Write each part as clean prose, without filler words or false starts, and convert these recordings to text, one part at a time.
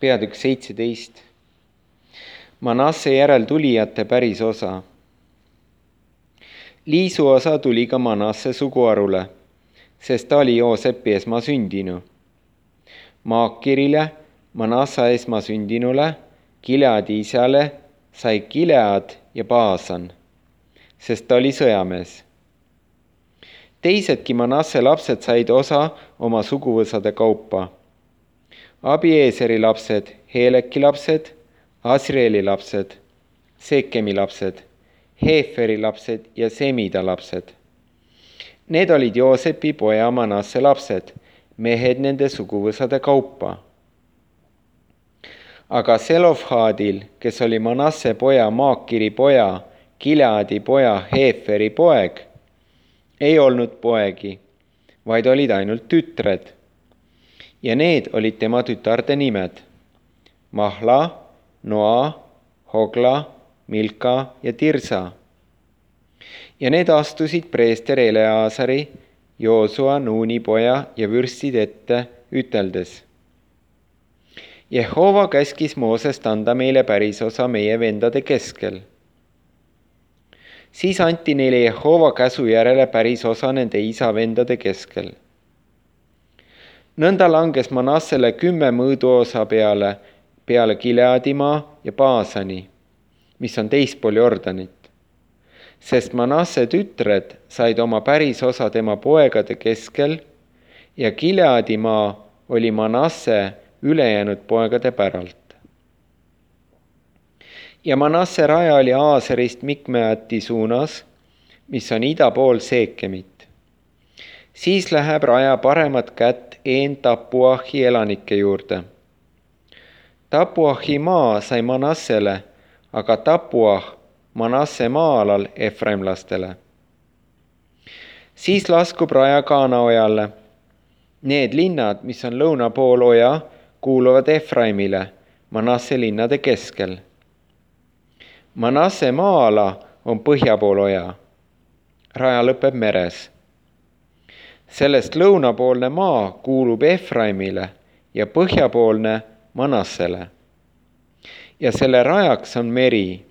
peatükk 17. Manasse järel tulijate päris osa. Liisu osa tuli ka Manasse suguharule, sest ta oli Joosepi esmasündinu. Maakirile, Manassa esmasündinule, Gileadi isale sai Gilead ja Baasan, sest ta oli sõjamees. Teisedki Manasse lapsed said osa oma suguvõsade kaupa. Abieseri lapsed, Heleki lapsed, Asrieli lapsed, Sekemi lapsed, Heferi lapsed ja Semida lapsed. Need olid Joosepi poja Manasse lapsed, mehed nende suguvõsade kaupa. Aga Selofhaadil, kes oli Manasse poja Maakiri poja, Gileadi poja Heferi poeg, ei olnud poegi, vaid olid ainult tütred. Ja need olid tema tütarde nimed: Mahla, Noa, Hogla, Milka ja Tirsa. Ja need astusid preester Eleazari, Joosua, Nuuni poja ja vürstid ette, üteldes: Jehova käskis Moosest anda meile pärisosa meie vendade keskel. Siis anti neile Jehova käsu järele pärisosa nende isa vendade keskel. Nõnda langes Manassele 10 mõõduosa peale Gileadimaa ja Baasani, mis on teispool Jordanit. Sest Manasse tütred said oma pärisosa tema poegade keskel ja Gileadimaa oli Manasse ülejäänud poegade päralt. Ja Manasse raja oli Aaserist Mikmeati suunas, mis on ida pool Seekemit. Siis läheb raja paremat kätt Tapuahi elanike juurde. Tapuahi maa sai Manassele, aga Tapuah Manasse maa-alal efraimlastele. Siis laskub raja Kaanaojale. Need linnad, mis on lõuna pool oja, kuuluvad Efraimile, Manasse linnade keskel. Manasse maa-ala on põhja pool oja. Raja lõpeb meres. Sellest lõunapoolne maa kuulub Efraimile ja põhjapoolne Manassele. Ja selle rajaks on meri.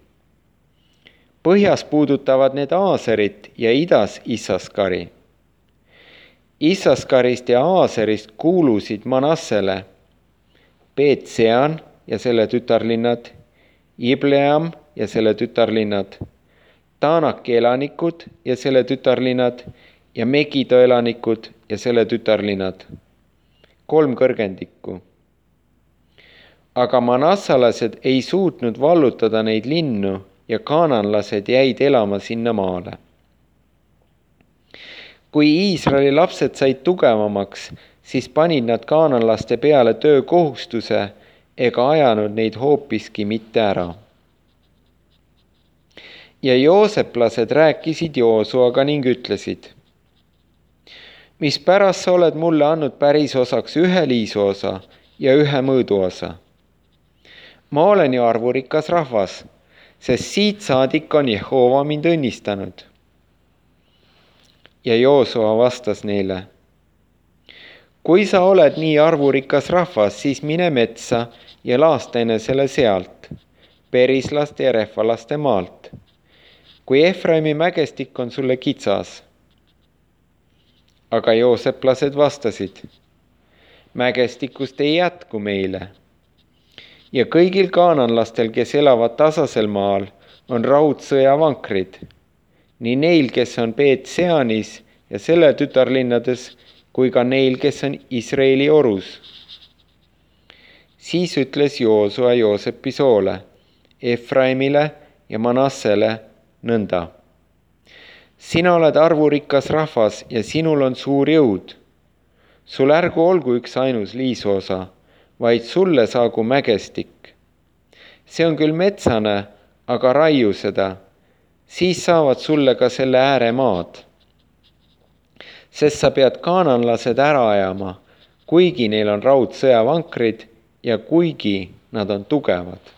Põhjas puudutavad need Aaserit ja idas Issaskari. Issaskarist ja Aaserist kuulusid Manassele Beet-Sean ja selle tütarlinnad, Ibleam ja selle tütarlinnad, Taanaki elanikud ja selle tütarlinnad ja Megido elanikud ja selle tütarlinnad, 3 kõrgendikku. Aga manassalased ei suutnud vallutada neid linnu ja kaananlased jäid elama sinna maale. Kui Iisraeli lapsed said tugevamaks, siis panid nad kaananlaste peale töökohustuse ega ajanud neid hoopiski mitte ära. Ja jooseplased rääkisid Joosuaga ning ütlesid: mispärast sa oled mulle andnud pärisosaks 1 liisuosa ja 1 mõõduosa? Ma olen ju arvurikas rahvas, sest siit saadik on Jehova mind õnnistanud. Ja Joosua vastas neile: kui sa oled nii arvurikas rahvas, siis mine metsa ja laasta enesele sealt, perislaste ja rehvalaste maalt, kui Efraimi mägestik on sulle kitsas. Aga jooseplased vastasid: mägestikust ei jätku meile. Ja kõigil kaananlastel, kes elavad tasasel maal, on raudsõjavankrid, nii neil, kes on Beet-Seanis ja selle tütarlinnades, kui ka neil, kes on Iisraeli orus. Siis ütles Joosua Joosepi soole, Efraimile ja Manassele nõnda: sina oled arvurikas rahvas ja sinul on suur jõud. Sul ärgu olgu 1 ainus liisuosa, vaid sulle saagu mägestik. See on küll metsane, aga raiu seda, siis saavad sulle ka selle ääremaad. Sest sa pead kaananlased ära ajama, kuigi neil on raudsõjavankrid ja kuigi nad on tugevad.